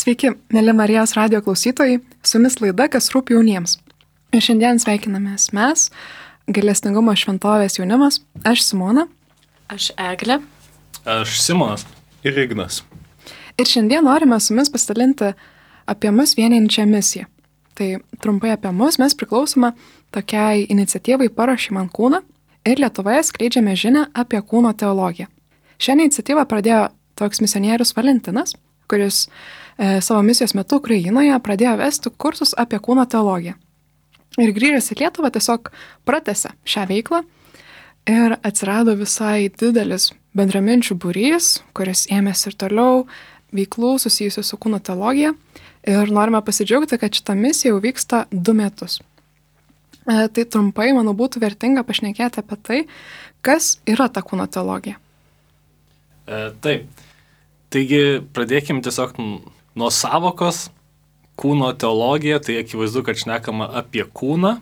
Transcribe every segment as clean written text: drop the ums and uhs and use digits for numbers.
Sveiki, mėly Marijos radijo klausytojai, su jumis laida, kas rūpi jauniems. Ir šiandien sveikinamės mes, Gailestingumo šventovės jaunimas, aš Simona. Aš Eglė. Aš Simonas ir Ignas. Ir šiandien norime su jumis pasidalinti apie mus vienijančią misiją. Tai trumpai apie mus mes priklausome tokiai iniciatyvai Paruošk man kūną ir Lietuvoje skleidžiame žinią apie kūno teologiją. Šią iniciatyvą pradėjo toks misionierius Valentinas, kuris savo misijos metu Ukrainoje pradėjo vesti kursus apie kūno teologiją. Ir grįžęs į Lietuvą tiesiog pratęsė šią veiklą ir atsirado visai didelis bendraminčių būrys, kuris ėmėsi ir toliau veiklų susijusių su kūno teologija. Ir norime pasidžiaugti, kad šita misija jau vyksta 2 metus. Tai trumpai, manau, būtų vertinga pašnekėti apie tai, kas yra ta kūno teologija. Taip. Taigi pradėkime tiesiog nuo savokos. Kūno teologija, tai akivaizdu, kad šnekama apie kūną.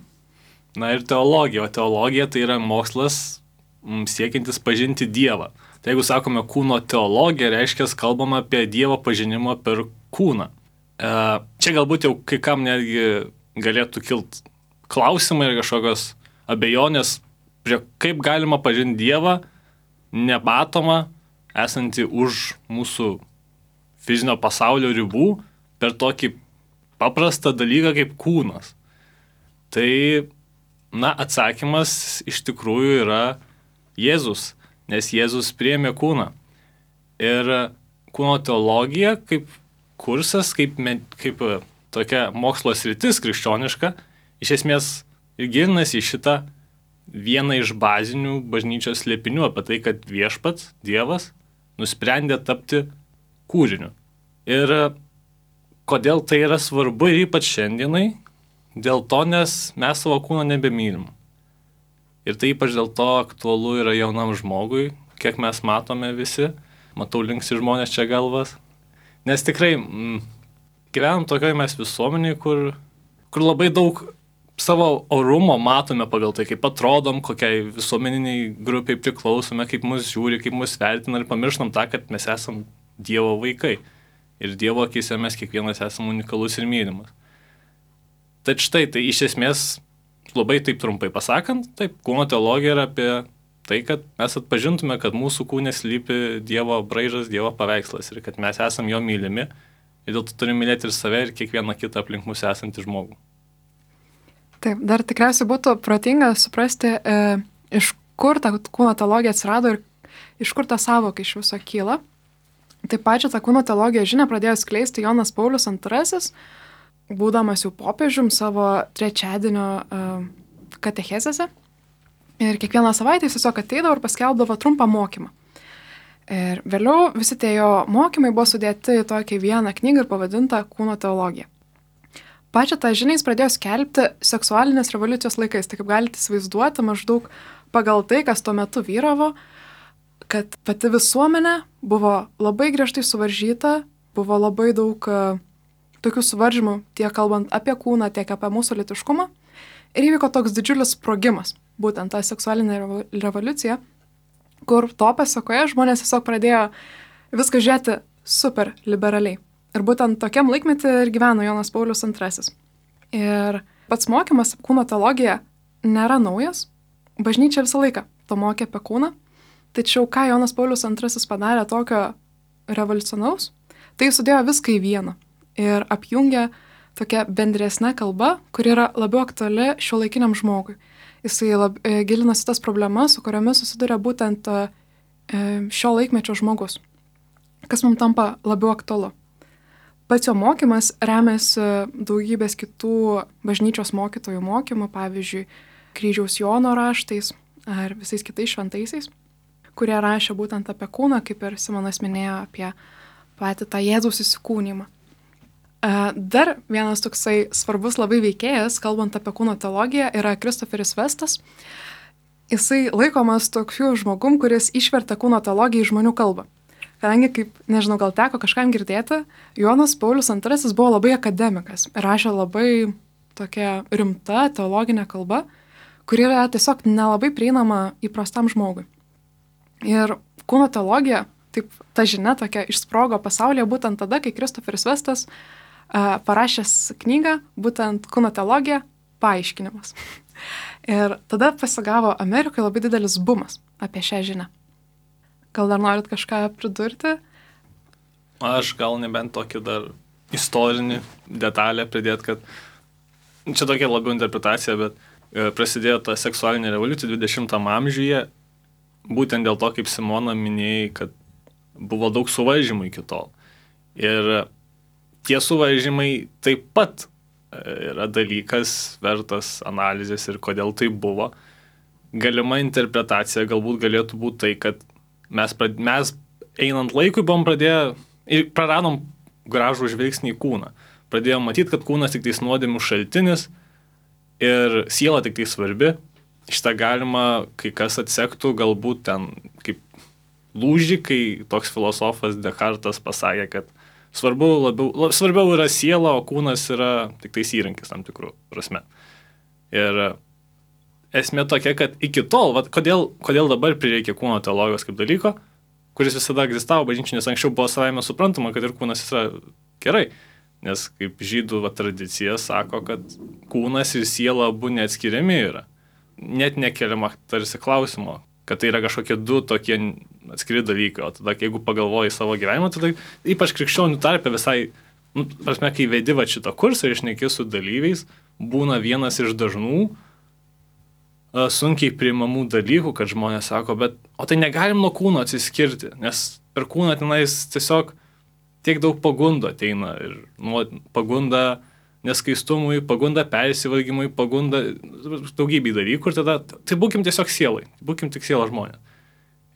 Na ir teologija, o teologija tai yra mokslas siekiantis pažinti Dievą. Tai jeigu sakome kūno teologija, reiškia kalbama apie Dievo pažinimą per kūną. Čia galbūt jau kai kam netgi galėtų kilti klausimai ir kažkokios abejonės, kaip galima pažinti Dievą nematomą, esantį už mūsų fizinio pasaulio ribų per tokį paprastą dalyką kaip kūnas. Tai, atsakymas iš tikrųjų yra Jėzus, nes Jėzus priėmė kūną. Ir kūno teologija kaip kursas, kaip tokia mokslo sritis krikščioniška, iš esmės ir gilinasi į šitą vieną iš bazinių bažnyčios slėpinių apie tai, kad viešpats, Dievas, nusprendė tapti kūriniu. Ir kodėl tai yra svarbu ir ypač šiandienai? Dėl to, nes mes savo kūno nebemylim. Ir tai ypač dėl to aktualu yra jaunam žmogui, kiek mes matome visi. Matau linksi žmonės čia galvas. Nes tikrai gyvenam tokioje mes visuomenėje, kur labai daug savo orumo matome pagal tai, kaip atrodom, kokiai visuomeniniai grupiai priklausome, kaip mus žiūri, kaip mus vertina ir pamirštam tą, kad mes esam Dievo vaikai. Ir Dievo akyse mes kiekvienas esam unikalus ir mylimas. Tad štai, tai iš esmės, labai taip trumpai pasakant, taip, kūno teologija yra apie tai, kad mes atpažintume, kad mūsų kūne slypi Dievo braižas, Dievo paveikslas ir kad mes esam jo mylimi ir dėl to turime mylėti ir save, ir kiekvieną kitą aplink mus esantį žmogų. Taip, dar tikriausiai būtų protinga suprasti, iš kur ta kūno teologija atsirado ir iš kur ta sąvoka iš viso kyla. Taip pačią tą kūno teologijos žinią pradėjo skleisti Jonas Paulius II, būdamas jau popiežium savo trečiadienio katechezėse. Ir kiekvieną savaitę jis tiesiog ateidavo ir paskelbdavo trumpą mokymą. Ir vėliau visi tie jo mokymai buvo sudėti į tokią vieną knygą ir pavadintą Kūno teologija. Pačią tą žinią jis pradėjo skelbti seksualinės revoliucijos laikais. Tai kaip galite įsivaizduoti, maždaug pagal tai, kas tuo metu vyravo, kad pati visuomenė buvo labai griežtai suvaržyta, buvo labai daug tokių suvaržymų, tiek kalbant apie kūną, tiek apie mūsų lytiškumą. Ir įvyko toks didžiulis sprogimas, būtent ta seksualinė revoliucija, kur to pasekoje žmonės tiesiog pradėjo viską žiūrėti super liberaliai. Ir būtent tokiam laikmetį ir gyveno Jonas Paulius II. Ir pats mokymas kūno teologija nėra naujas. Bažnyčia visą laiką to mokė apie kūną. Tačiau ką Jonas Paulius II padarė tokio revoliucionaus, tai sudėjo viską į vieną. Ir apjungė tokia bendresnė kalba, kuri yra labiau aktuali šiuolaikiniam žmogui. Jisai gilinasi tas problemas, su kuriomis susiduria būtent šio laikmečio žmogus. Kas mums tampa labiau aktualu. Pats jo mokymas remiasi daugybės kitų bažnyčios mokytojų mokymų, pavyzdžiui, Kryžiaus Jono raštais ar visais kitais šventaisiais, kurie rašė būtent apie kūną, kaip ir Simonas minėjo apie patį tą Jėzaus įsikūnymą. Dar vienas toksai svarbus labai veikėjas, kalbant apie kūno teologiją, yra Kristoferis Vestas. Jisai laikomas tokiu žmogum, kuris išvertė kūno teologiją į žmonių kalbą. Kadangi, kaip, nežinau, gal teko kažkam girdėti, Jonas Paulius II buvo labai akademikas ir rašė labai tokia rimta teologinė kalba, kuri yra tiesiog nelabai prieinama įprastam žmogui. Ir kūno teologija taip ta žinia tokia išsprogo pasaulyje būtent tada, kai Kristoferis Vestas parašęs knygą, būtent kūno teologija, paaiškinimas. Ir tada pasigavo Amerikoje labai didelis bumas apie šią žinią. Gal dar norit kažką pridurti? Aš gal nebent tokį dar istorinį detalę pridėt, kad čia tokia labiau interpretacija, bet prasidėjo ta seksualinė revoliucija 20 amžiuje, būtent dėl to, kaip Simona minėjai, kad buvo daug suvaržymų iki tol. Ir tie suvaržymai taip pat yra dalykas vertas analizės ir kodėl tai buvo. Galima interpretacija galbūt galėtų būti tai, kad mes einant laikui buvom pradėję ir praradom gražų žvilgsnį į kūną. Pradėjom matyti, kad kūnas tik tais nuodėmių šaltinis ir siela tik tai svarbi. Šitą galima kai kas atsektų galbūt ten kaip lūžį, kai toks filosofas Descartes pasakė, kad svarbiau yra siela, o kūnas yra tik tais įrankis tam tikrų prasme. Ir esmė tokia, kad iki tol, kodėl dabar prireikia kūno teologijos kaip dalyko, kuris visada egzistavo bažnyčiai, nes anksčiau buvo savaime suprantama, kad ir kūnas yra gerai. Nes kaip žydų tradicija sako, kad kūnas ir siela abu neatskiriami yra. Net nekeliama tarsi klausimo, kad tai yra kažkokie du tokie atskiri dalykai. O tada, jeigu pagalvoji savo gyvenimą, tada ypač krikščionių tarpe visai, prasme, kai vedi va šitą kursą ir šneki su dalyviais, būna vienas iš dažnų sunkiai priimamų dalykų, kad žmonės sako, bet o tai negalim nuo kūno atsiskirti, nes per kūną tenais tiesiog tiek daug pagundų ateina ir pagunda neskaistumui, pagunda persivalgymui, pagunda daugybė dalykų ir tada tai būkim tiesiog sielai, būkim tik siela žmonės.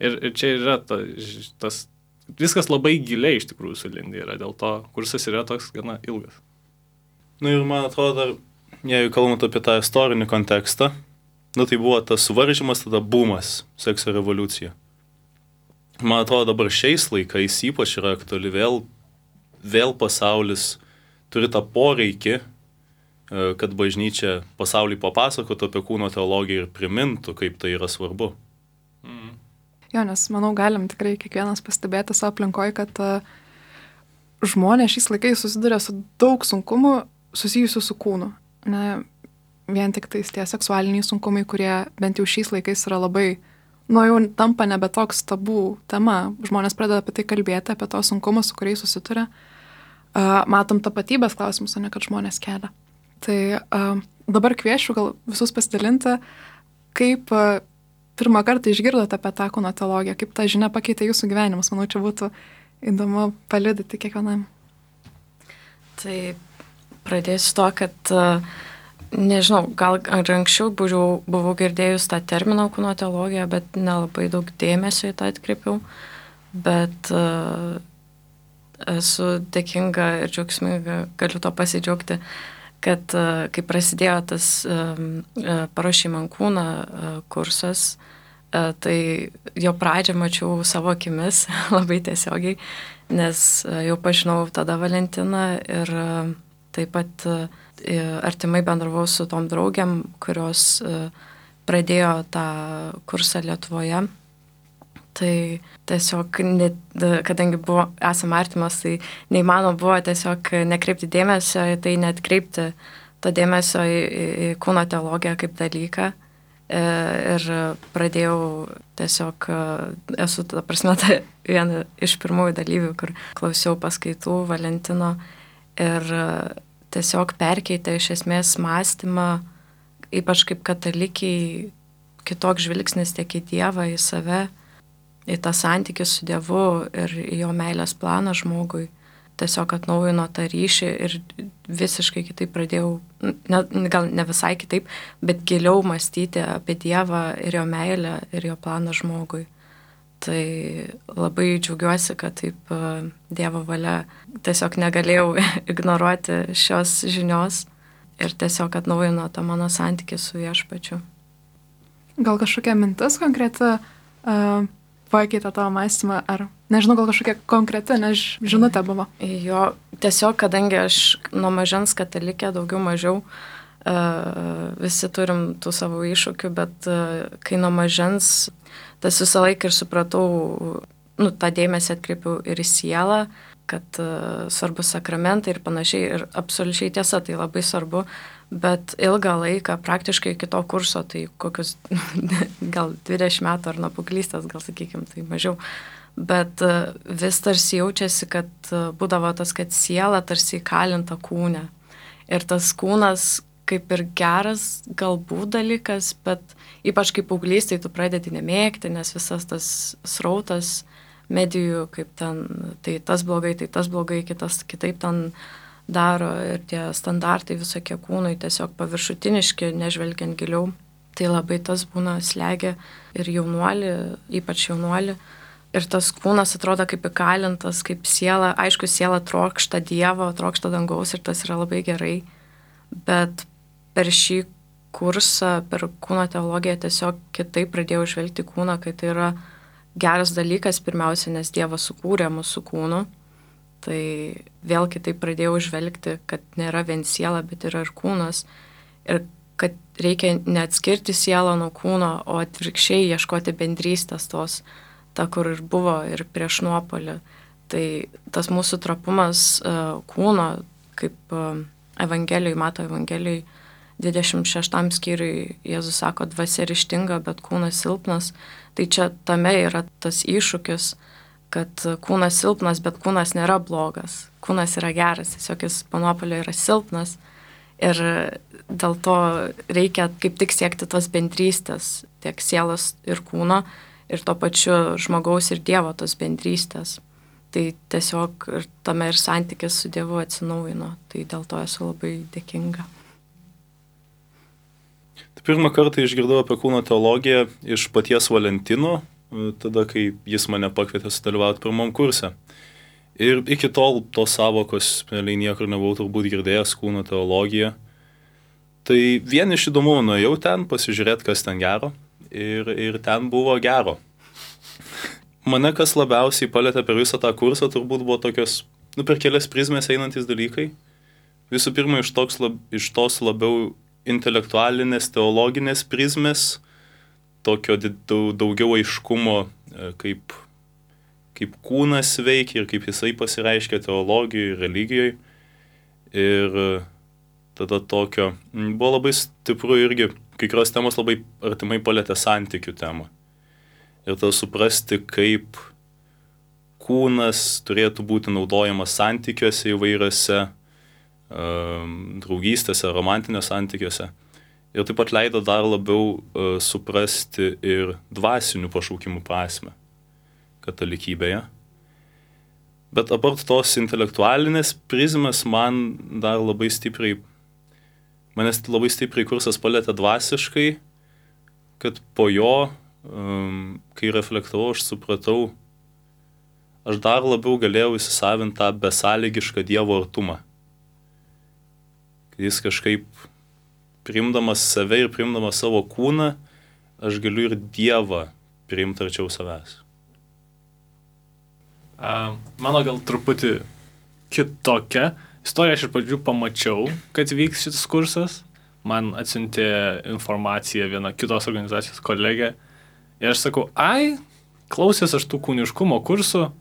Ir čia yra tas viskas labai giliai iš tikrųjų sulindė yra, dėl to kursas yra toks gana ilgas. Na ir man atrodo, jeigu kalbant apie tą istorinį kontekstą, tai buvo tas suvaržymas, tada bumas, sekso revoliucija. Man atrodo, dabar šiais laikais ypač yra aktuali vėl pasaulis turi tą poreikį, kad bažnyčia pasauliui papasakotų apie kūno teologiją ir primintų, kaip tai yra svarbu. Jo, nes manau, galim tikrai kiekvienas pastebėti savo aplinkoje, kad žmonės šiais laikais susiduria su daug sunkumų susijusių su kūnu. Ne vien tik tais tie seksualiniai sunkumai, kurie bent jau šiais laikais yra labai, jau tampa nebe toks tabų tema. Žmonės pradeda apie tai kalbėti, apie tos sunkumus, su kuriais susituria. Matom tapatybės klausimus, o ne kad žmonės kelia. Tai dabar kviečiu gal visus pasidalinti, kaip pirmą kartą išgirdote apie tą kūno teologiją, kaip ta žinia pakeitė jūsų gyvenimus. Manau, čia būtų įdomu paliudyti kiekvienam. Tai pradėsiu to, kad nežinau, gal anksčiau buvau girdėjus tą terminą kūno teologija, bet nelabai daug dėmesio į tą atkreipiau. Bet esu dėkinga ir džiaugsminga, galiu to pasidžiaugti, kad kai prasidėjo tas paruošimo ant kūną kursas, tai jo pradžią mačiau savo akimis labai tiesiogiai, nes jau pažinau tada Valentiną ir taip pat artimai bendravau su tom draugėm, kurios pradėjo tą kursą Lietuvoje. Tai tiesiog, kadangi esam artimas, tai neįmanoma buvo tiesiog nekreipti dėmesio į tai, neatkreipti to dėmesio į kūno teologiją kaip dalyką. Ir pradėjau tiesiog, esu, ta prasme, viena iš pirmųjų dalyvių, kur klausiau paskaitų Valentino ir tiesiog perkeitė iš esmės mąstymą, ypač kaip katalikiai, kitoks žvilgsnis tiek į Dievą, į save, į tą santykį su Dievu ir į jo meilės planą žmogui. Tiesiog atnaujino tą ryšį ir visiškai kitaip pradėjau, gal ne visai kitaip, bet giliau mąstyti apie Dievą ir jo meilę ir jo planą žmogui. Tai labai džiaugiuosi, kad taip Dievo valia tiesiog negalėjau ignoruoti šios žinios ir tiesiog atnaujino tą mano santykį su Viešpačiu. Gal kažkokia mintis konkreti pakeitė tavo mąstymą, ar nežinau, gal kažkokia konkreti, žinutė buvo? Jo, tiesiog, kadangi aš nuo mažens katalikė, daugiau mažiau, visi turim tų savo iššūkių, bet kai nuo mažens, tas visą laiką ir supratau tą dėmesį atkreipiau ir į sielą, kad svarbu sakramentai ir panašiai, ir absoliučiai tiesa, tai labai svarbu, bet ilgą laiką, praktiškai iki to kurso, tai kokius gal 20 metų ar nuo paauglystės, gal sakykime, tai mažiau, bet vis tarsi jaučiasi, kad būdavo tas, kad siela tarsi įkalinta kūne. Ir tas kūnas kaip ir geras galbūt dalykas, bet ypač kaip paauglys, tai tu pradedi nemėgti, nes visas tas srautas medijų, kaip ten, tai tas blogai, kitas kitaip ten daro ir tie standartai visokie kūnui tiesiog paviršutiniški, nežvelgiant giliau. Tai labai tas būna slegia ir jaunuolį, ypač jaunuolį. Ir tas kūnas atrodo kaip įkalintas, kaip siela. Aišku, siela trokšta Dievo, trokšta dangaus ir tas yra labai gerai. Bet per šį kursą, per kūno teologiją tiesiog kitaip pradėjau žvelgti kūną, kad tai yra geras dalykas pirmiausia, nes Dievas sukūrė mūsų kūnu. Tai vėl kitaip pradėjau žvelgti, kad nėra vien siela, bet yra ir kūnas. Ir kad reikia neatskirti sielą nuo kūno, o atvirkščiai ieškoti bendrystės tos, ta, kur ir buvo ir prieš nuopolį. Tai tas mūsų trapumas kūno, kaip Evangelijai, Mato Evangelijai, 26 skyriui Jėzus sako, dvasia ryžtinga, bet kūnas silpnas. Tai čia tame yra tas iššūkis, kad kūnas silpnas, bet kūnas nėra blogas. Kūnas yra geras, tiesiog jis po nuopuolio yra silpnas. Ir dėl to reikia kaip tik siekti tos bendrystės, tiek sielos ir kūno, ir to pačiu žmogaus ir Dievo tos bendrystės. Tai tiesiog ir tame ir santykis su Dievu atsinaujino. Tai dėl to esu labai dėkinga. Pirmą kartą išgirdau apie kūno teologiją iš paties Valentino, tada, kai jis mane pakvietė sudalyvauti pirmam kurse. Ir iki tol tos savokos realiai niekur nebuvau turbūt girdėjęs kūno teologiją. Tai vien iš įdomumo nuėjau ten, pasižiūrėti, kas ten gero. Ir ten buvo gero. Mane kas labiausiai palėtė per visą tą kursą, turbūt buvo tokios, per kelias prizmės einantis dalykai. Visų pirma, iš tos labiau intelektualinės, teologinės prizmės, tokio daugiau aiškumo, kaip kūnas veikia ir kaip jisai pasireiškia teologijoje ir religijoje. Ir tada tokio, buvo labai stipru irgi, kai kurios temos labai artimai palėtė santykių temą. Ir tada suprasti, kaip kūnas turėtų būti naudojamas santykiuose įvairiose, draugystėse, romantinėse santykiuose. Ir taip pat leido dar labiau suprasti ir dvasinių pašaukimų prasmę katalikybėje. Bet apart tos intelektualinės prizmės manęs labai stipriai kursas palėtė dvasiškai, kad po jo, kai reflektavau, aš supratau, aš dar labiau galėjau įsisavinti tą besąlygišką Dievo artumą. Jis kažkaip priimdamas save ir priimdamas savo kūną, aš galiu ir Dievą priimti arčiau savęs. Mano gal truputį kitokia istorija, aš iš pradžių pamačiau, kad vyks šitas kursas. Man atsiuntė informaciją viena kitos organizacijos kolegė. Ir aš sakau, klausęs aš tų kūniškumo kursų,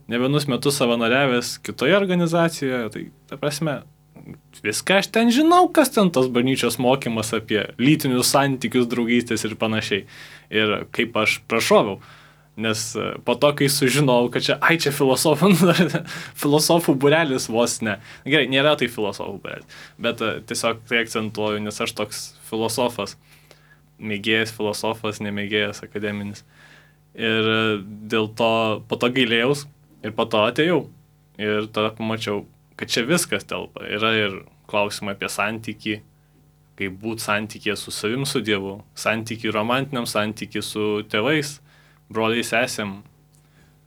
ne vienus metus savanoriavęs kitoje organizacijoje, tai ta prasme, viską aš ten žinau, kas ten tos bažnyčios mokymas apie lytinius santykius, draugystės ir panašiai. Ir kaip aš prašoviau. Nes po to, kai sužinau, kad čia filosofų būrelis vos ne. Gerai, nėra tai filosofų būrelis, bet tiesiog tai akcentuoju, nes aš toks filosofas, mėgėjas filosofas, nemėgėjas akademinis. Ir dėl to po to gailėjaus ir po to atėjau. Ir tada pamačiau, kad čia viskas telpa. Yra ir klausimai apie santykį, kaip būti santykė su savim, su Dievu, santykį romantiniam, santykį su tėvais, broliai sesėm.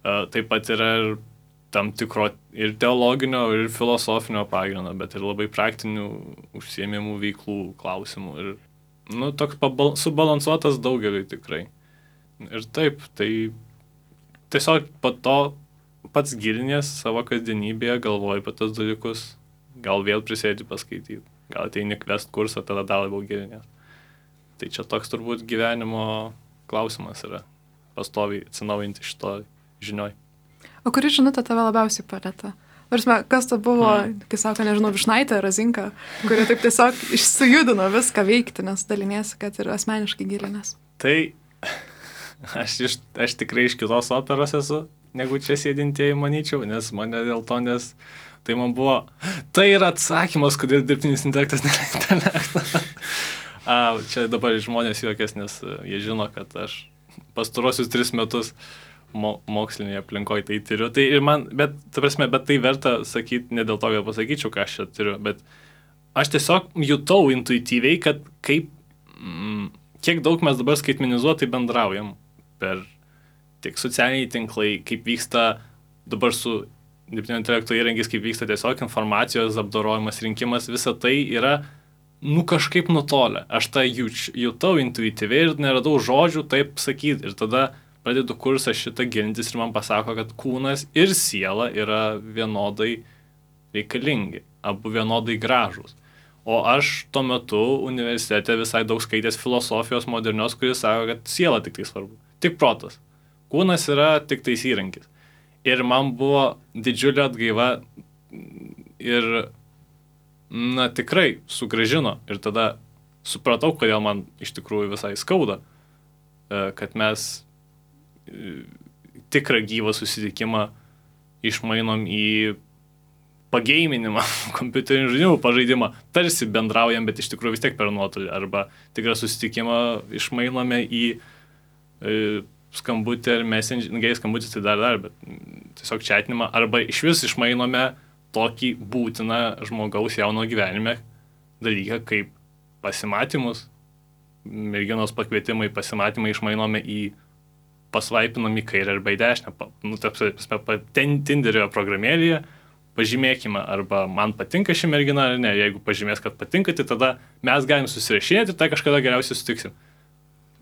Taip pat yra ir tam tikro ir teologinio, ir filosofinio pagrindo, bet ir labai praktinių užsiėmimų veiklų klausimų. Ir toks subalansuotas daugeliui tikrai. Ir taip, tai tiesiog po to pats gilinės savo kasdienybėje, galvoji apie tas dalykus, gal vėl prisėdi paskaityti, gal ateini kvest kursą, tada dar labiau gilinės. Tai čia toks turbūt gyvenimo klausimas yra, pastoviai atsinaujinti šito žinioj. O kuri žinutė tave labiausiai palėtė? Kas ta buvo, kai sako, nežinau, Višnaitė, Razinka, kuri taip tiesiog sujudino viską veikti, nes daliniesi, kad ir asmeniškai gilinės. Tai aš tikrai iš kitos operos esu, negu čia sėdintieji, manyčiau, nes mane dėl to, nes tai man buvo, tai yra atsakymas, kodėl dirbtinis intelektas nėra intelektas. Čia dabar žmonės juokės, nes jie žino, kad aš pastarosius 3 metus mokslinėje aplinkoje tai tyriu. Tai ir man, bet tai verta sakyti, ne dėl to, kad pasakyčiau, ką aš čia tyriu, bet aš tiesiog jutau intuityviai, kad kiek daug mes dabar skaitmenizuotai bendraujam per tiek socialiniai tinklai, kaip vyksta dabar su dirbtinio intelekto įrankiais, kaip vyksta tiesiog informacijos apdorojimas, rinkimas, visa tai yra, kažkaip nutolę. Aš tą jutau intuityviai ir neradau žodžių taip sakyti. Ir tada pradedu kursą šitą gilintis ir man pasako, kad kūnas ir siela yra vienodai reikalingi, abu vienodai gražūs. O aš tuo metu universitete visai daug skaitęs filosofijos modernios, kuris sako, kad siela tik tai svarbu, tik protas. Kūnas yra tik tais įrankis. Ir man buvo didžiulė atgaiva ir, tikrai sugrąžino. Ir tada supratau, kodėl man iš tikrųjų visai skauda, kad mes tikrą gyvą susitikimą išmainom į pageiminimą, kompiuterinių žaidimų pažaidimą. Tarsi bendraujam, bet iš tikrųjų vis tiek per nuotolį. Arba tikrą susitikimą išmainome į skambutį ar messenger, skambutis tai dar, bet tiesiog chatinimą. Arba iš vis išmainome tokį būtiną žmogaus jauno gyvenime dalyką kaip pasimatymus. Merginos pakvietimai, pasimatymai išmainome į pasvaipinam į kairę arba į dešinę. Tinderio programėlėje pažymėkime, arba man patinka ši mergina ar ne. Jeigu pažymės, kad patinka, tai tada mes galim susirašinėti ir tai kažkada geriausiai sutiksim.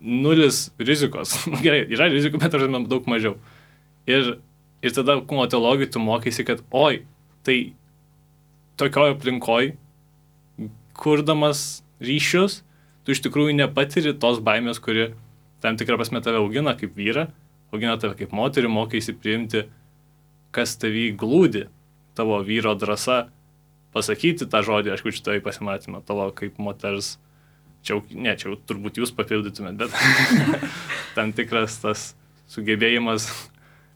0 rizikos. Gerai, yra rizikų, bet daug mažiau. Ir tada kūno teologijai tu mokaisi, kad tai tokioje aplinkoje, kurdamas ryšius, tu iš tikrųjų nepatiri tos baimės, kuri tam tikrą prasme tave augina kaip vyrą, augina tave kaip moterį, mokaisi priimti, kas tavy glūdi, tavo vyro drąsa pasakyti tą žodį, aš kučiu tavai pasimatymą, tavo kaip moters, čia turbūt jūs papildytumėt, bet tam tikras tas sugebėjimas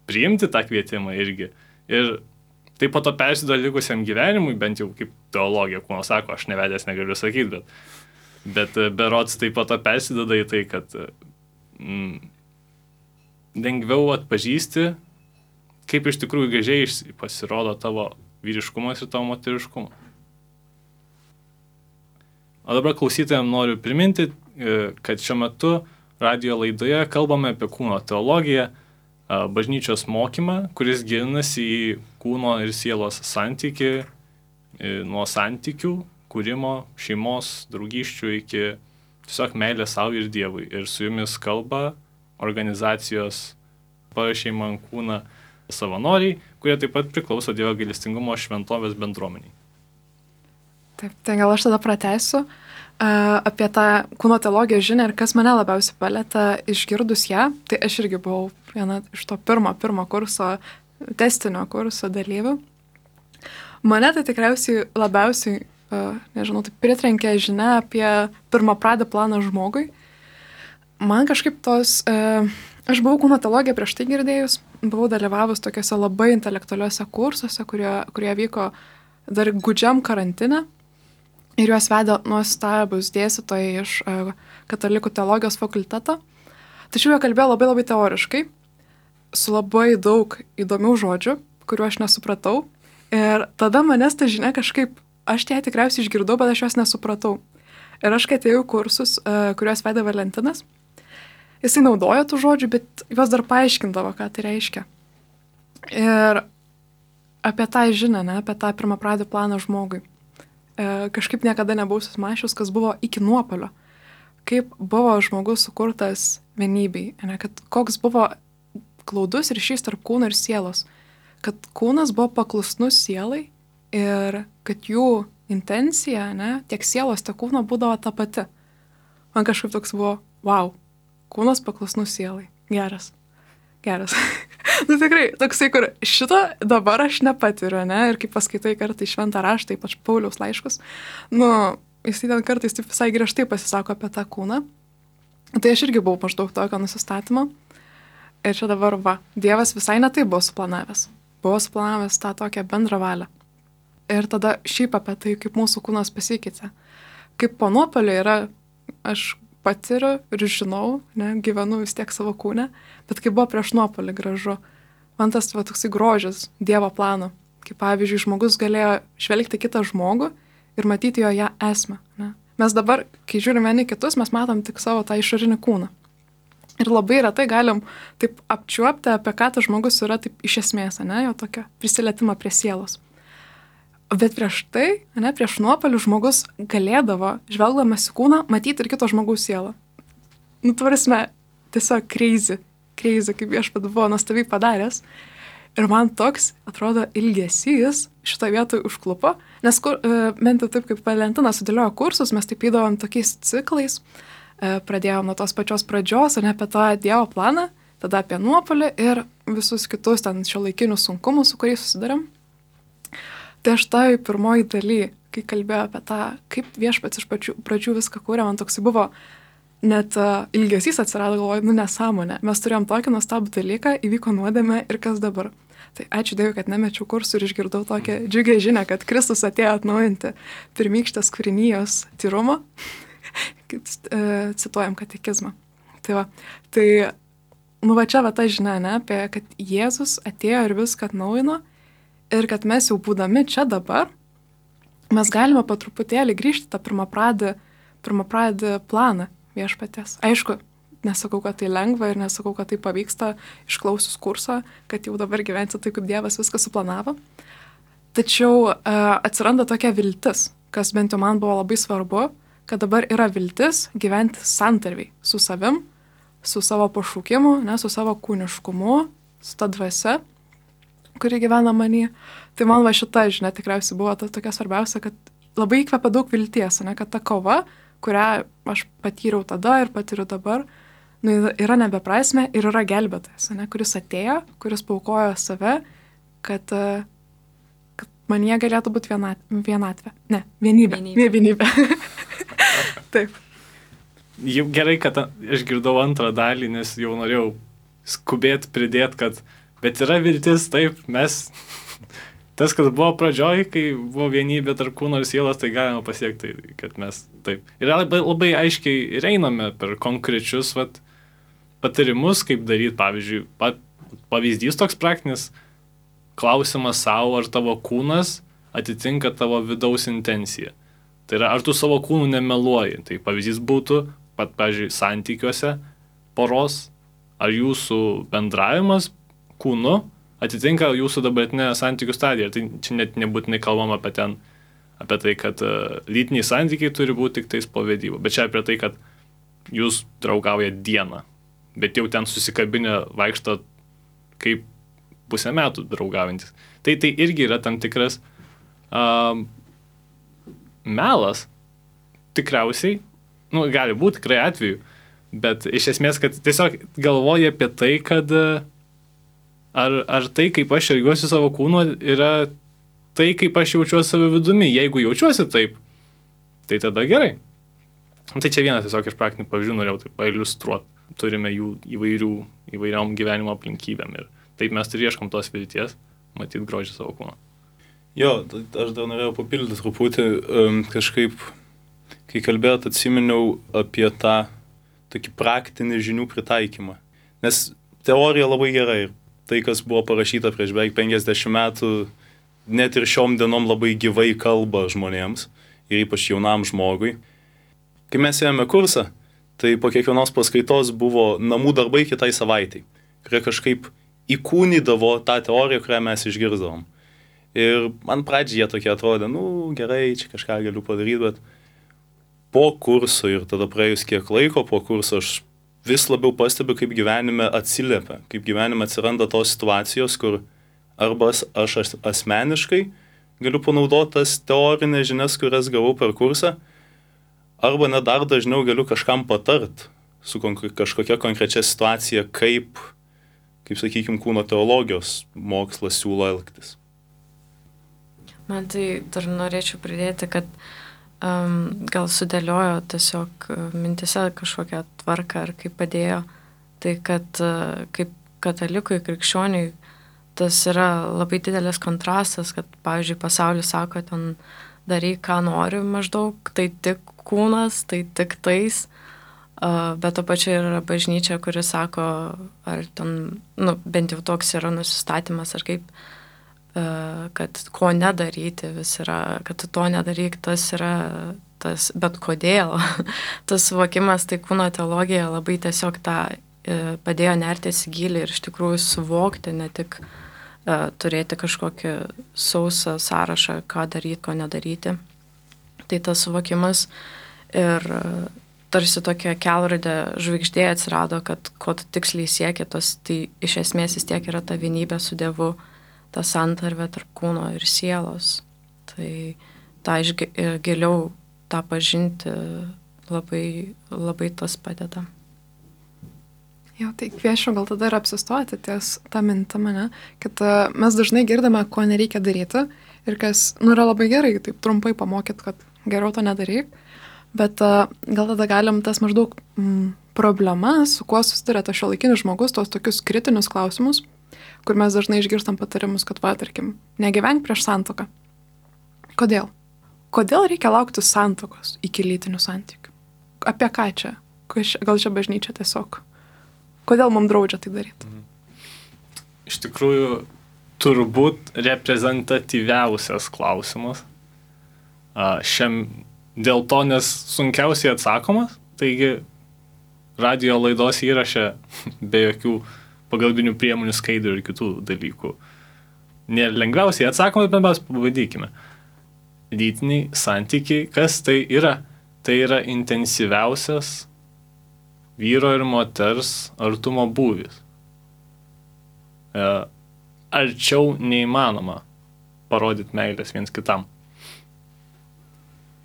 priimti tą kvietimą irgi. Ir tai po to persiduoda likusiam gyvenimui, bent jau kaip teologija, kūno sako, aš nevedęs negaliu sakyti, bet berods tai po to persiduoda į tai, kad lengviau atpažįsti, kaip iš tikrųjų gražiai pasirodo tavo vyriškumas ir tavo moteriškumas. O dabar klausytojams noriu priminti, kad šiuo metu radijo laidoje kalbame apie kūno teologiją, bažnyčios mokymą, kuris gilinasi į kūno ir sielos santykį, nuo santykių, kūrimo, šeimos, draugysčių iki tiesiog meilė savo ir Dievui. Ir su jumis kalba organizacijos Parašei man kūną savanoriai, kurie taip pat priklauso Dievo gailestingumo šventovės bendruomeniai. Taip, tai gal aš tada pratęsiu apie tą kūno teologijos žinią ir kas mane labiausiai palėtė išgirdus ją. Tai aš irgi buvau viena iš to pirmo kurso, testinio kurso dalyvių. Mane tai tikriausiai labiausiai tai pritrenkė žinia apie pirmapradę planą žmogui. Man kažkaip aš buvau kūno teologiją prieš tai girdėjus, buvau dalyvavus tokiuose labai intelektualiuose kursuose, kurie vyko dar gūdžiam karantine. Ir juos vedė nuostabus dėstytojai iš katalikų teologijos fakulteto. Tačiau jie kalbėjo labai labai teoriškai, su labai daug įdomių žodžių, kuriuo aš nesupratau. Ir tada manęs ta žinia kažkaip, aš ją tikriausiai išgirdau, bet aš jos nesupratau. Ir aš, kai atėjau kursus, kuriuos vedė Valentinas, jisai naudojo tų žodžių, bet juos dar paaiškindavo, ką tai reiškia. Ir apie tą žinią, apie tą pirmapradį planą žmogui. Kažkaip niekada nebuvau susimąsčius, kas buvo iki nuopuolio. Kaip buvo žmogus sukurtas vienybei, kad koks buvo glaudus ryšys tarp kūno ir sielos. Kad kūnas buvo paklusnus sielai ir kad jų intencija, tiek sielos, tiek kūno būdavo ta pati. Man kažkaip toks buvo, wow, kūnas paklusnus sielai. Geras. Nu tikrai, toksai, kur šito dabar aš nepatiriu, ne? Ir kai paskaitai kartai šventą raštą, ypač Pauliaus laiškus, nu, jis ten kartais taip visai griežtai pasisako apie tą kūną. Tai aš irgi buvau maždaug tokio nusistatymo. Ir čia dabar, va, Dievas visai netai buvo suplanavęs. Buvo suplanavęs tą tokią bendrą valią. Ir tada šiaip apie tai, kaip mūsų kūnas pasikeitė. Kaip po nuopuolio yra, aš patiriu ir žinau, ne, gyvenu vis tiek savo kūne, bet kai buvo prieš nuopuolį gražu, man tas va, toksai grožis Dievo plano, kaip pavyzdžiui, žmogus galėjo žvelgti kitą žmogų ir matyti jo ją esmę. Ne. Mes dabar, kai žiūrime vieni kitus, mes matom tik savo tą išorinį kūną. Ir labai retai galim taip apčiuopti, apie ką tas žmogus yra taip iš esmės, ne, jo tokio prisilietimą prie sielos. Bet prieš tai, ne, prieš nuopuolį žmogus galėdavo, žvelgdamas į kūną, matyti ir kito žmogaus sielą. Nu, tvarsime, tiesiog crazy, kaip Viešpats buvo nuostabiai padaręs. Ir man toks, atrodo, ilgesys šitoje vietoje užklupo, nes bent jau taip, kaip Valentinas sudėliojo kursus, mes taip įdavom tokiais ciklais, pradėjom nuo tos pačios pradžios, o ne apie tą Dievo planą, tada apie nuopuolį ir visus kitus ten šiuolaikinius sunkumus, su kuriais susidarėm. Tai aš toj pirmoji daly, kai kalbėjau apie tą, kaip Viešpats iš pradžių viską kūrė, man toksai buvo, net ilgesys atsirado, galvoju, nu nesąmonė. Mes turėjom tokį nuostabų dalyką, įvyko nuodėmė ir kas dabar. Tai ačiū Dievui, kad nemečiau kursų ir išgirdau tokią džiugią žinią, kad Kristus atėjo atnaujinti pirmykštės kūrinijos tyrumo. Cituojam katekizmą. Tai va, nu va čia va ta žinia, ne, apie, kad Jėzus atėjo ir viską atnaujino. Ir kad mes jau būdami čia dabar, mes galime po truputėlį grįžti tą pirmapradį planą Viešpaties. Aišku, nesakau, kad tai lengva ir nesakau, kad tai pavyksta išklausius kursą, kad jau dabar gyventi taip, kaip Dievas viską suplanavo. Tačiau atsiranda tokia viltis, kas bent jau man buvo labai svarbu, kad dabar yra viltis gyventi santarviai su savim, su savo pašaukimu, ne, su savo kūniškumu, su ta dvasia, kuri gyvena manį. Tai man va šita žinia tikriausiai buvo ta tokia svarbiausia, kad labai įkvepia daug vilties, ne, kad ta kova, kurią aš patyriau tada ir patyriu dabar, nu, yra nebeprasmė ir yra gelbėtojas, ne, kuris atėjo, kuris paaukojo save, kad manyje galėtų būti vienatvė. Ne, vienybė. Vienybė. Taip. Jau gerai, kad aš girdau antrą dalį, nes jau norėjau skubėti pridėti, kad bet yra viltis, taip, mes, tas, kas buvo pradžioj, kai buvo vienybė tarp kūno ir sielos, tai galima pasiekti, kad mes taip. Ir labai aiškiai ir einame per konkrečius patarimus, kaip daryti, pavyzdžiui, pavyzdys toks praktinis, klausimas savo, ar tavo kūnas atitinka tavo vidaus intenciją. Tai yra, ar tu savo kūnų nemeluoji. Tai pavyzdys būtų, pavyzdžiui, santykiuose poros, ar jūsų bendravimas kūnu atitinka jūsų dabartinę santykių stadiją. Tai čia net nebūtinai kalbam apie tai, kad lytiniai santykiai turi būti tik tais po vedybų. Bet čia apie tai, kad jūs draugaujat dieną, bet jau ten susikabinę vaikšto kaip pusę metų draugaujantis. Tai irgi yra tam tikras melas. Tikriausiai, nu, gali būti tikrai atveju, bet iš esmės, kad tiesiog galvoja apie tai, kad ar tai, kaip aš elgiuosi savo kūnu, yra tai, kaip aš jaučiuosi savo vidumi. Jeigu jaučiuosi taip, tai tada gerai. Tai čia vienas tiesiog iš praktinių pavyzdžių norėjau taip pailiustruoti. Turime jų įvairiom gyvenimo aplinkybėm ir taip mes ir ieškom tos vilties, matyti grožį savo kūno. Jo, aš dar norėjau papildyti truputį, kažkaip, kai kalbėjot, atsiminiau apie tą tokį praktinį žinių pritaikymą. Nes teorija labai gerai ir tai, kas buvo parašyta prieš beveik 50 metų, net ir šiom dienom labai gyvai kalba žmonėms ir ypač jaunam žmogui. Kai mes ėjome kursą, tai po kiekvienos paskaitos buvo namų darbai kitai savaitai, kurie kažkaip įkūnydavo tą teoriją, kurią mes išgirsdavom. Ir man pradžioje tokie atrodė, nu gerai, čia kažką galiu padaryti, bet po kurso ir tada praėjus kiek laiko po kurso aš vis labiau pastebiu, kaip gyvenime atsiliepia, kaip gyvenime atsiranda tos situacijos, kur arba aš asmeniškai galiu panaudoti tas teorinės žinias, kurias gavau per kursą, arba net dar dažniau galiu kažkam patart su kažkokia konkrečia situacija, kaip kaip sakykime, kūno teologijos mokslas siūlo elgtis. Man tai dar norėčiau pridėti, kad gal sudėliojo tiesiog mintise kažkokią tvarką ar kaip padėjo, tai kad kaip katalikui, krikščioniui, tas yra labai didelis kontrastas, kad, pavyzdžiui, pasaulis sako, ten daryk, ką nori maždaug, tai tik kūnas, tai tik tais, bet to pačiu yra bažnyčia, kuri sako, ar ten, bent jau toks yra nusistatymas, ar kaip, kad ko nedaryti vis yra, kad tu to nedaryk, tas yra tas, bet kodėl. Tas suvokimas, tai kūno teologija labai tiesiog tą padėjo nertis į gilį ir iš tikrųjų suvokti, ne tik turėti kažkokį sausą sąrašą, ką daryti, ko nedaryti. Tai tas suvokimas ir tarsi tokia kelrodė žvaigždė atsirado, kad ko tu tiksliai sieki, tai iš esmės vis tiek yra ta vienybė su Dievu, ta santarvė tarp kūno ir sielos. Tai tą giliau tą pažinti labai, labai tas padeda. Jo, tai kviečiu gal tada ir apsistoti ties tą mintimą, ne? Kad mes dažnai girdame, ko nereikia daryti ir kas, yra labai gerai, taip trumpai pamokyt, kad geriau to nedaryk, bet gal tada galim tas maždaug problemas, su kuo susiduria tas šiuolaikinis žmogus, tos tokius kritinius klausimus, kur mes dažnai išgirstam patarimus, kad, tarkim, negyvenk prieš santuoką. Kodėl? Kodėl reikia laukti santuokos iki lytinių santykių? Apie ką čia? Gal čia bažnyčia tiesiog? Kodėl mums draudžia tai daryti? Iš tikrųjų, turbūt reprezentatyviausias klausimas. Dėl to, nes sunkiausiai atsakomas, taigi radio laidos įraše be jokių pagalbinių priemonių, skaidrių ir kitų dalykų. Nėra lengviausiai atsakomas, bet mes pabandykime. Lytiniai santykiai, kas tai yra? Tai yra intensyviausias vyro ir moters artumo būvis. Arčiau neįmanoma parodyti meilės viens kitam.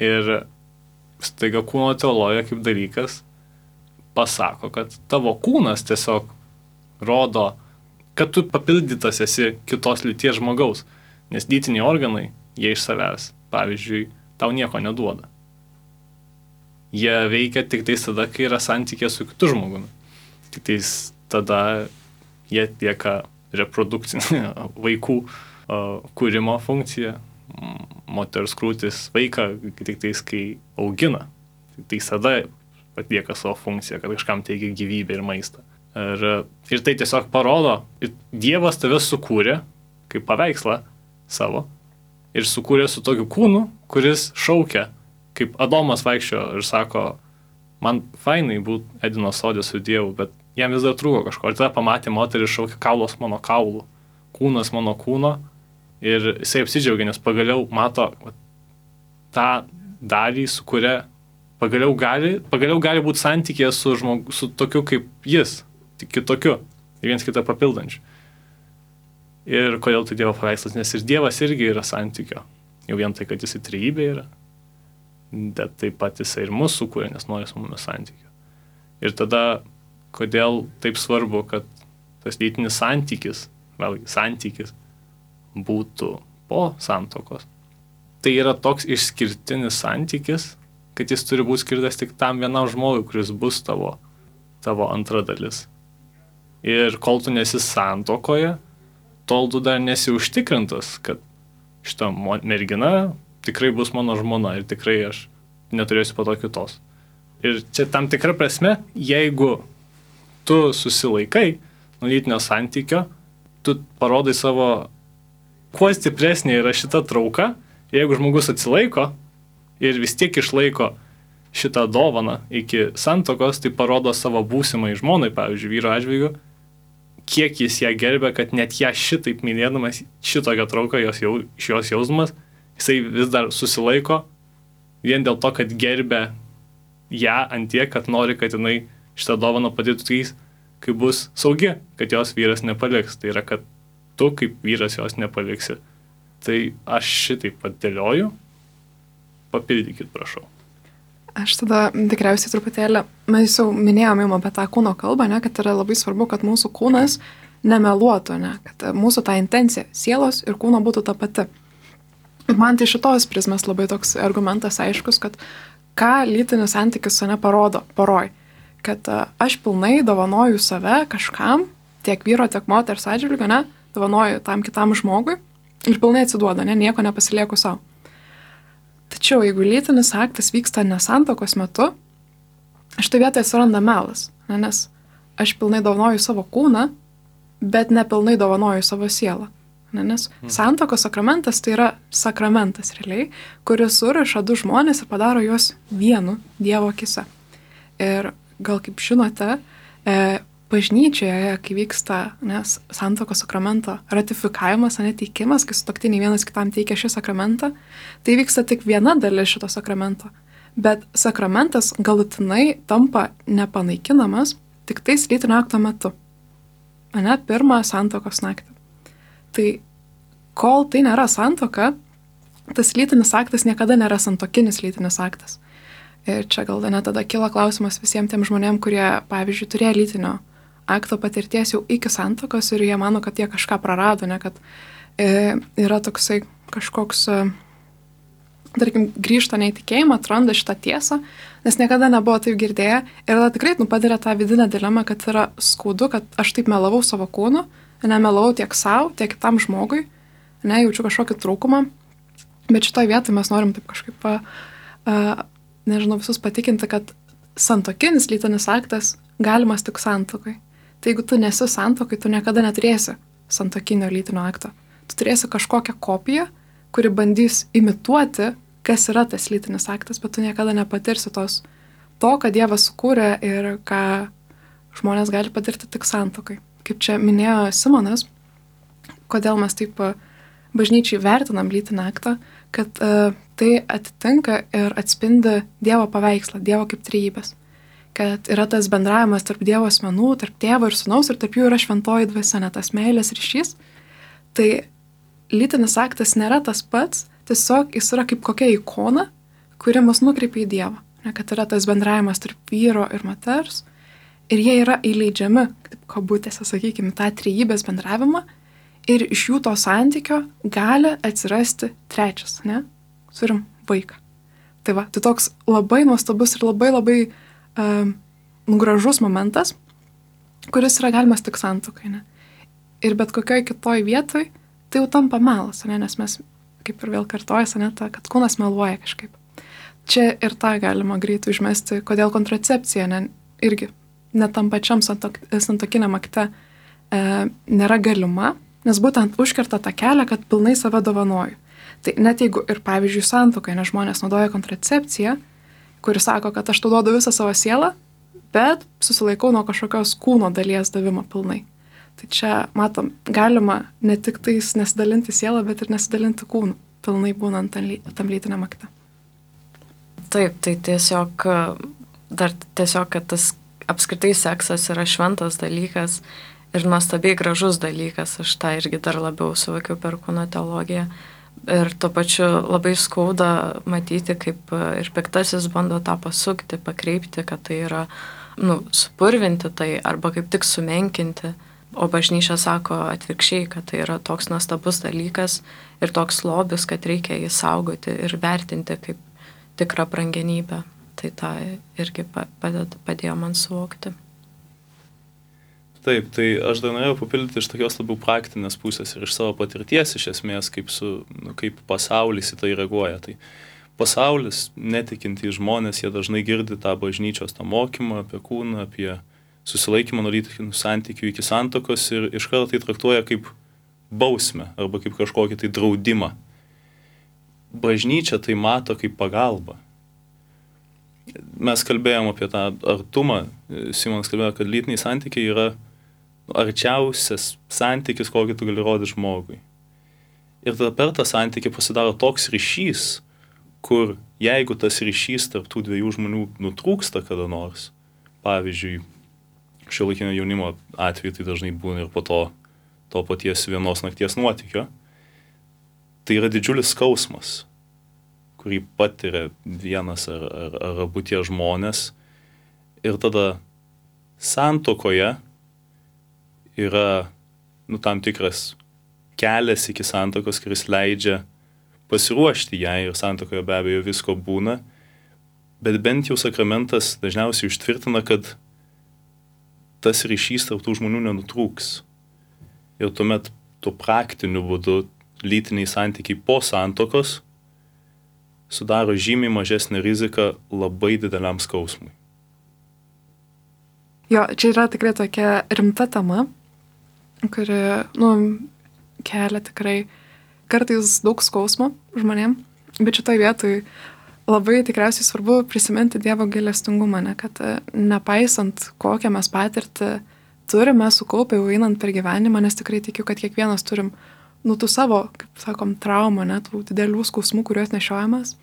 Ir staiga kūno teologija kaip dalykas pasako, kad tavo kūnas tiesiog rodo, kad tu papildytas esi kitos lyties žmogaus, nes lytiniai organai, jie iš savęs, pavyzdžiui, tau nieko neduoda. Jie veikia tik tais tada, kai yra santykė su kitu žmogumi. Tik tais tada jie atlieka reprodukcinį vaikų kūrimo funkciją. Moters krūtis vaiką tik tais, kai augina. Tik tais tada atlieka savo funkciją, kad kažkam teikia gyvybę ir maistą. Ir tai tiesiog parodo, Dievas tave sukūrė kaip paveikslą savo ir sukūrė su tokiu kūnu, kuris šaukia, kaip Adomas vaikščio ir sako, man fainai būt Edeno sode su Dievu, bet jam vis dar trūko kažko. Ir tada pamatė moterį šaukia, kaulos mano kaulų, kūnas mano kūno ir jisai apsidžiaugia, nes pagaliau mato tą dalį, su kuria pagaliau gali būti santykėje su tokiu kaip jis, tik kitokiu, viens kitą papildančiu. Ir kodėl tai Dievo paveikslas, nes ir Dievas irgi yra santykio. Jau vien tai, kad jis trejybė yra, bet taip pat jisai ir mūsų sukūrė, nes nori su mumis santykio. Ir tada, kodėl taip svarbu, kad tas lytinis santykis, vėlgi santykis, būtų po santuokos. Tai yra toks išskirtinis santykis, kad jis turi būti skirtas tik tam vienam žmogui, kuris bus tavo antra dalis. Ir kol tu nesi santuokoje, tol tu dar nesi užtikrintas, kad šita mergina tikrai bus mano žmona ir tikrai aš neturėsiu po to kitos. Ir čia tam tikra prasme, jeigu tu susilaikai nuo lytinio santykio, tu parodai savo, kuo stipresnė yra šita trauka, jeigu žmogus atsilaiko ir vis tiek išlaiko šitą dovaną iki santuokos, tai parodo savo būsimai žmonai, pavyzdžiui, vyro atžvilgiu, kiek jis ją gerbė, kad net ją šitaip mylėdamas, šitokią trauką iš jos jausmas, jisai vis dar susilaiko vien dėl to, kad gerbė ją ant tiek, kad nori, kad jinai šitą dovaną padėtų trys, kai bus saugi, kad jos vyras nepaliks. Tai yra, kad tu kaip vyras jos nepaliksi. Tai aš šitaip padėlioju. Papildykit, prašau. Aš tada tikriausiai truputėlį, mes jau minėjome apie tą kūno kalbą, ne, kad yra labai svarbu, kad mūsų kūnas nemeluotų, ne, kad mūsų ta intencija sielos ir kūno būtų ta pati. Man tai šitos prizmės labai toks argumentas aiškus, kad ką lytinis santykis parodo poroj, kad aš pilnai dovanoju save kažkam, tiek vyro, tiek moters atžvilgiu, ne, dovanoju tam kitam žmogui ir pilnai atsiduoda, ne, nieko nepasilieku savo. Tačiau jeigu lytinis aktas vyksta nesantokos metu, štai vietoje atsiranda melas, ne, nes aš pilnai dovanoju savo kūną, bet nepilnai dovanoju savo sielą. Ne, nes santokos sakramentas tai yra sakramentas realiai, kuris suriša du žmonės ir padaro juos vienu Dievo akise. Ir gal kaip žinote, bažnyčioje, kai vyksta santokos sakramento ratifikavimas, neteikimas, kai sutuoktiniai vienas kitam teikia šį sakramentą, tai vyksta tik viena dalis šito sakramento. Bet sakramentas galutinai tampa nepanaikinamas tik tais lytinio akto metu. Ne, pirmą santokos naktį. Tai kol tai nėra santoka, tas lytinis aktas niekada nėra santokinis lytinis aktas. Ir čia gal net tada kila klausimas visiems tiem žmonėm, kurie, pavyzdžiui, turėjo lytinio akto patirties jau iki santokos ir jie mano, kad jie kažką prarado, ne, kad yra toksai kažkoks, tarkim, grįžta neįtikėjimą, atranda šitą tiesą, nes niekada nebuvo taip girdėję ir tada tikrai patiria tą vidinę dilemą, kad yra skaudu, kad aš taip melavau savo kūnu, nemelavau tiek savo, tiek kitam žmogui, jaučiu kažkokį trūkumą, bet šitoj vietoj mes norim taip kažkaip, nežinau, visus patikinti, kad santokinis lytinis aktas galimas tik santokai. Tai jeigu tu nesi santokai, tu niekada neturėsi santokinio lytinio akto. Tu turėsi kažkokią kopiją, kuri bandys imituoti, kas yra tas lytinis aktas, bet tu niekada nepatirsi to, ką Dievas sukūrė ir ką žmonės gali patirti tik santokai. Kaip čia minėjo Simonas, kodėl mes taip bažnyčiai vertinam lytinį aktą, kad tai atitinka ir atspindi Dievo paveikslą, Dievo kaip trejybės. Kad yra tas bendravimas tarp Dievo asmenų, tarp tėvo ir sūnaus ir tarp jų yra šventoji dvasia, ne tas meilės ryšys. Tai lytinis aktas nėra tas pats, tiesiog jis yra kaip kokia ikona, kuri mus nukreipia į Dievą. Ne, kad yra tas bendravimas tarp vyro ir moters. Ir jie yra įleidžiami, kaip kabutėse, sakykime, tą trejybės bendravimą ir iš jų to santykio gali atsirasti trečias, ne? Turim vaiką. Tai va, tai toks labai nuostabus ir labai gražus momentas, kuris yra galimas tik santuokai, ne? Ir bet kokioj kitoj vietoj tai jau tampa melas, ne? Nes mes, kaip ir vėl kartojasi, ne, kad kūnas meluoja kažkaip. Čia ir tą galima greitai užmesti, kodėl kontracepcija, ne, irgi net tam pačiam santokiniam akte nėra galima, nes būtent užkerta tą kelią, kad pilnai save dovanoju. Tai net jeigu ir, pavyzdžiui, santuokai, nes žmonės naudoja kontracepciją, kuri sako, kad aš tau duodu visą savo sielą, bet susilaikau nuo kažkokios kūno dalies davimo pilnai. Tai čia, matom, galima ne tik tais nesidalinti sielą, bet ir nesidalinti kūnu, pilnai būnant tam lytiniam akte. Taip, tai tiesiog, kad tas apskritai seksas yra šventas dalykas ir nuostabiai gražus dalykas. Aš tą irgi dar labiau suvokiau per kūno teologiją. Ir tuo pačiu labai skauda matyti, kaip ir piktasis bando tą pasukti, pakreipti, kad tai yra, supurvinti tai arba kaip tik sumenkinti. O bažnyčia sako atvirkščiai, kad tai yra toks nuostabus dalykas ir toks lobis, kad reikia jį saugoti ir vertinti kaip tikrą brangenybę. Tai tą irgi padėjo man suvokti. Taip, tai aš dar norėjau papildyti iš tokios labiau praktinės pusės ir iš savo patirties iš esmės, kaip pasaulis į tai reaguoja. Tai pasaulis, netikintys žmonės, jie dažnai girdi tą bažnyčios tą mokymą apie kūną, apie susilaikymą nuo lytinių santykių iki santokos ir iš karto tai traktuoja kaip bausmę arba kaip kažkokį tai draudimą. Bažnyčia tai mato kaip pagalbą. Mes kalbėjom apie tą artumą, Simonas kalbėjo, kad lytiniai santykiai yra arčiausias santykis, kokį tu gali rodyti žmogui. Ir tada per tą santykį pasidaro toks ryšys, kur jeigu tas ryšys tarp tų dviejų žmonių nutrūksta kada nors, pavyzdžiui, šiuolaikinio jaunimo atveju tai dažnai būna ir po to paties vienos nakties nuotykio, tai yra didžiulis skausmas, kurį patiria vienas ar abu tie žmonės. Ir tada santuokoje yra tam tikras kelias iki santuokos, kuris leidžia pasiruošti jai ir santuokoje be abejo visko būna, bet bent jau sakramentas dažniausiai užtvirtina, kad tas ryšys tarp tų žmonių nenutrūks. Ir tuomet tuo praktiniu būdu lytiniai santykiai po santuokos sudaro žymiai mažesnę riziką labai dideliam skausmui. Jo, čia yra tikrai tokia rimta tema, kuri, kelia tikrai kartais daug skausmo žmonėm, bet šitoj vietoj labai tikriausiai svarbu prisiminti Dievo gailestingumą, kad nepaisant kokią mes patirtį turime sukaupę jau einant per gyvenimą, nes tikrai tikiu, kad kiekvienas turim tų savo, kaip sakom, traumą, tų didelių skausmų, kuriuos nešiojamas,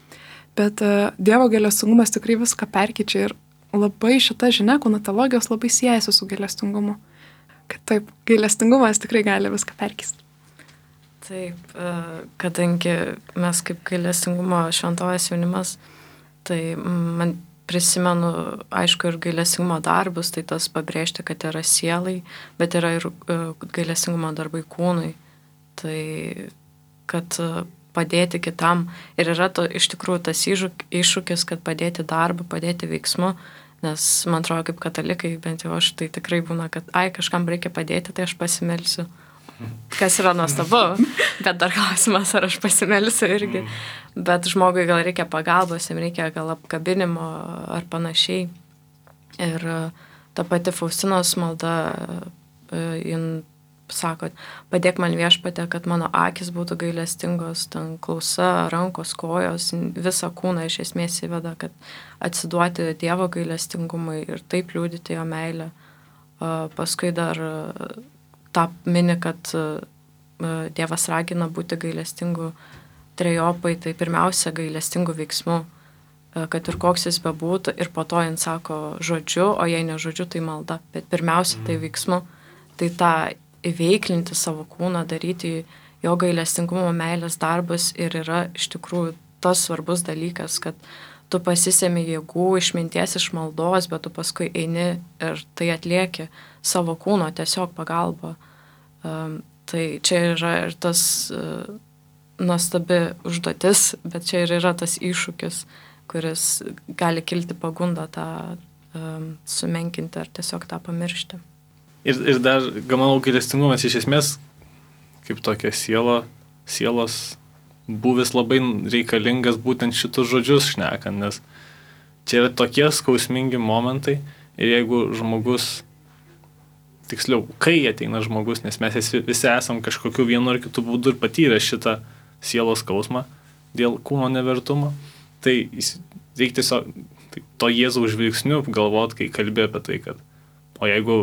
bet Dievo gailestingumas tikrai viską perkeičia ir labai šita žinia konatologijos labai siejasi su gailestingumu. Kad taip, gailestingumas tikrai gali viską perkeisti. Taip, kadangi mes kaip gailestingumo šventovės jaunimas, tai man prisimenu, aišku, ir gailestingumo darbus, tai tas pabrėžti, kad yra sielai, bet yra ir gailestingumo darbai kūnui. Tai kad padėti kitam ir yra iš tikrųjų tas iššūkis, kad padėti darbą, padėti veiksmu, nes man atrodo, kaip katalikai, bent jau aš, tai tikrai būna, kad kažkam reikia padėti, tai aš pasimelsiu. Kas yra nuostabu, bet dar klausimas, ar aš pasimelsiu irgi. Bet žmogui gal reikia pagalbos, jam reikia gal apkabinimo ar panašiai. Ir ta pati Faustinos malda, jin sako, padėk man Viešpatie, kad mano akis būtų gailestingos, ten klausa, rankos, kojos, visą kūną iš esmės įveda, kad atsiduoti Dievo gailestingumui ir taip liūdyti jo meilę. Paskui dar tą mini, kad Dievas ragina būti gailestingu trejopai, tai pirmiausia gailestingų veiksmų, kad ir koks jis bebūtų, ir po to jin sako žodžiu, o jei ne žodžiu, tai malda, bet pirmiausia tai veiksmu, tai tą įveiklinti savo kūną, daryti jo gailestingumo meilės darbas ir yra iš tikrųjų tas svarbus dalykas, kad tu pasisemi jėgų, išminties, iš maldos, bet tu paskui eini ir tai atlieki savo kūno tiesiog pagalba. Tai čia yra ir tas nuostabi užduotis, bet čia ir yra tas iššūkis, kuris gali kilti pagundą tą sumenkinti ar tiesiog tą pamiršti. Ir dar, manau, gailestingumas iš esmės, kaip tokia sielos buvis labai reikalingas būtent šitus žodžius šnekant, nes čia yra tokie skausmingi momentai ir jeigu žmogus, tiksliau, kai ateina žmogus, nes mes visi esam kažkokiu vienu ar kitu būdu ir patyrę šitą sielos skausmą dėl kūno nevertumo, tai reikia tiesiog to Jėzaus žvilgsniu galvot, kai kalbė apie tai, kad o jeigu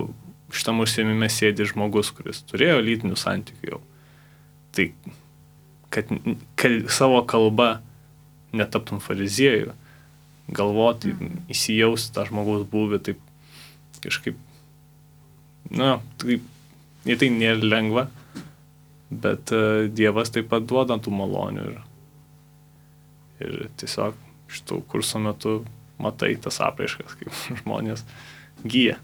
šitam užsiėmime sėdi žmogus, kuris turėjo lytinių santykių jau, tai kad savo kalba netaptum fariziejų, galvoti, įsijausti tą žmogaus būvį, taip kažkaip, tai nėra lengva, bet Dievas taip pat duoda tų malonių ir tiesiog šitų kurso metu matai tas apraiškas, kaip žmonės gyja.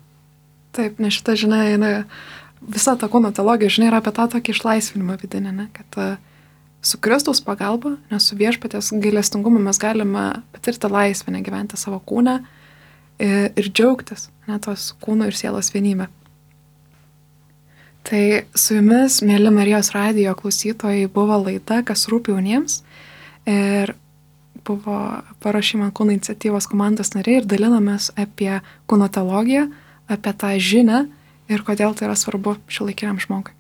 Taip, nes šita žinia, visa ta kūno teologija, žinia, yra apie tą tokį išlaisvinimą vidinį, kad su Kristaus pagalba, nes su Viešpaties gailestingumu mes galime patirti laisvę, gyventi savo kūną ir džiaugtis, tos kūno ir sielos vienybę. Tai su jumis, mėly Marijos radijo klausytojai, buvo laida, kas rūpi jauniems, ir buvo Paruošimo kūno iniciatyvos komandos nariai ir dalinamės apie kūno teologiją, apie tą žinią ir kodėl tai yra svarbu šiuolaikiniam žmogui.